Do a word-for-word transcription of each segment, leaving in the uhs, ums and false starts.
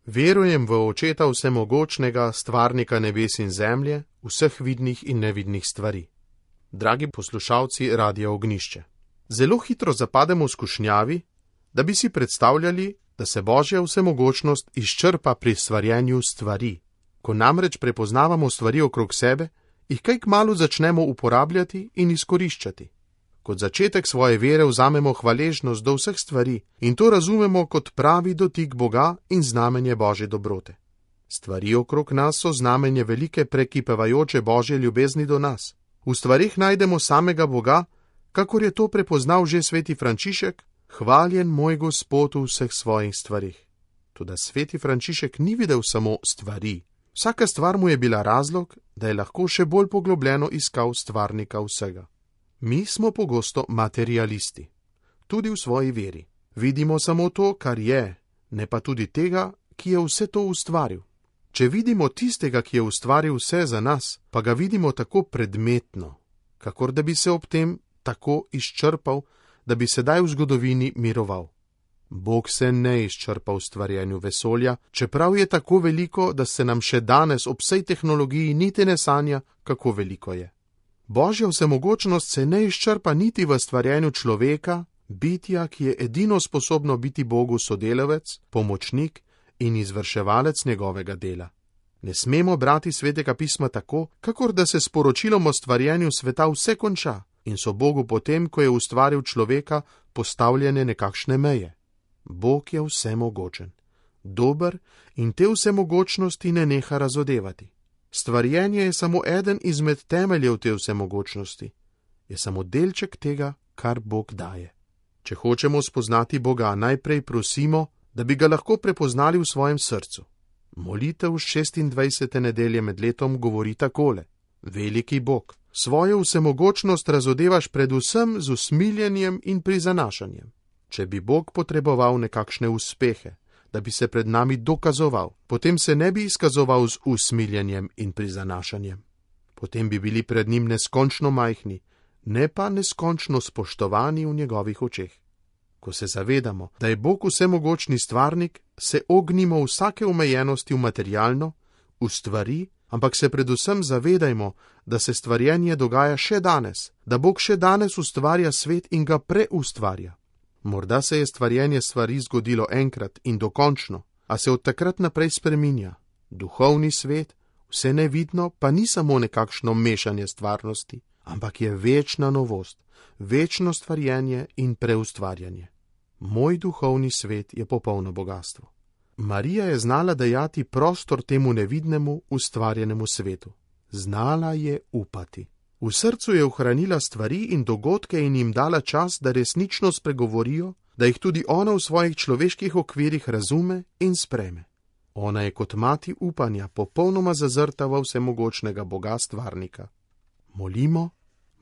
Verujem v Očeta vsemogočnega, stvarnika nebes in zemlje, vseh vidnih in nevidnih stvari. Dragi poslušalci Radia Ognišče, zelo hitro zapademo v skušnjavi, da bi si predstavljali, da se Božja vsemogočnost izčrpa pri stvarjenju stvari. Ko namreč prepoznavamo stvari okrog sebe, jih kaj kmalu začnemo uporabljati in izkoriščati. Kot začetek svoje vere vzamemo hvaležnost do vseh stvari in to razumemo kot pravi dotik Boga in znamenje Božje dobrote. Stvari okrog nas so znamenje velike prekipevajoče Božje ljubezni do nas. V stvarih najdemo samega Boga, kakor je to prepoznal že sveti Frančišek, hvaljen moj Gospod v vseh svojih stvarih. Toda sveti Frančišek ni videl samo stvari. Vsaka stvar mu je bila razlog, da je lahko še bolj poglobljeno iskal stvarnika vsega. Mi smo pogosto materialisti, tudi v svoji veri. Vidimo samo to, kar je, ne pa tudi tega, ki je vse to ustvaril. Če vidimo tistega, ki je ustvaril vse za nas, pa ga vidimo tako predmetno, kakor da bi se ob tem tako izčrpal, da bi sedaj v zgodovini miroval. Bog se ne izčrpa v stvarjenju vesolja, čeprav je tako veliko, da se nam še danes ob vsej tehnologiji niti ne sanja, kako veliko je. Božja vsemogočnost se ne izčrpa niti v stvarjenju človeka, bitja, ki je edino sposobno biti Bogu sodelavec, pomočnik in izvrševalec njegovega dela. Ne smemo brati svetega pisma tako, kakor da se s poročilom o stvarjenju sveta vse konča in so Bogu potem, ko je ustvaril človeka, postavljene nekakšne meje. Bog je vsemogočen, dober in te vsemogočnosti ne neha razodevati. Stvarjenje je samo eden izmed temeljev te vsemogočnosti, je samo delček tega, kar Bog daje. Če hočemo spoznati Boga, najprej prosimo, da bi ga lahko prepoznali v svojem srcu. Molitev šestindvajsete nedelje med letom govori takole: Veliki Bog, svojo vsemogočnost razodevaš predvsem z usmiljenjem in prizanašanjem. Če bi Bog potreboval nekakšne uspehe, da bi se pred nami dokazoval, potem se ne bi izkazoval z usmiljenjem in prizanašanjem. Potem bi bili pred njim neskončno majhni, ne pa neskončno spoštovani v njegovih očeh. Ko se zavedamo, da je Bog vsemogočni stvarnik, se ognimo vsake omejenosti v materialno, v stvari, ampak se predvsem zavedajmo, da se stvarjenje dogaja še danes, da Bog še danes ustvarja svet in ga preustvarja. Morda se je stvarjenje stvari zgodilo enkrat in dokončno, a se od takrat naprej spreminja. Duhovni svet, vse nevidno, pa ni samo nekakšno mešanje stvarnosti, ampak je večna novost, večno stvarjenje in preustvarjanje. Moj duhovni svet je popolno bogastvo. Marija je znala dajati prostor temu nevidnemu, ustvarjenemu svetu. Znala je upati. V srcu je ohranila stvari in dogodke in jim dala čas, da resnično spregovorijo, da jih tudi ona v svojih človeških okvirih razume in spreme. Ona je kot mati upanja popolnoma zazrta v vsemogočnega Boga stvarnika. Molimo,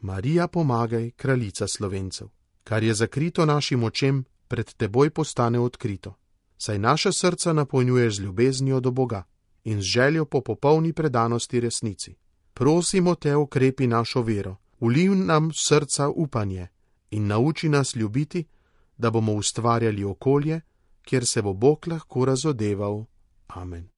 Marija pomagaj, kraljica Slovencev. Kar je zakrito našim očem, pred teboj postane odkrito. Saj naša srca napolnjuje z ljubeznijo do Boga in z željo po popolni predanosti resnici. Prosimo te, okrepi našo vero, vliv nam srca upanje in nauči nas ljubiti, da bomo ustvarjali okolje, kjer se bo Bog lahko razodeval. Amen.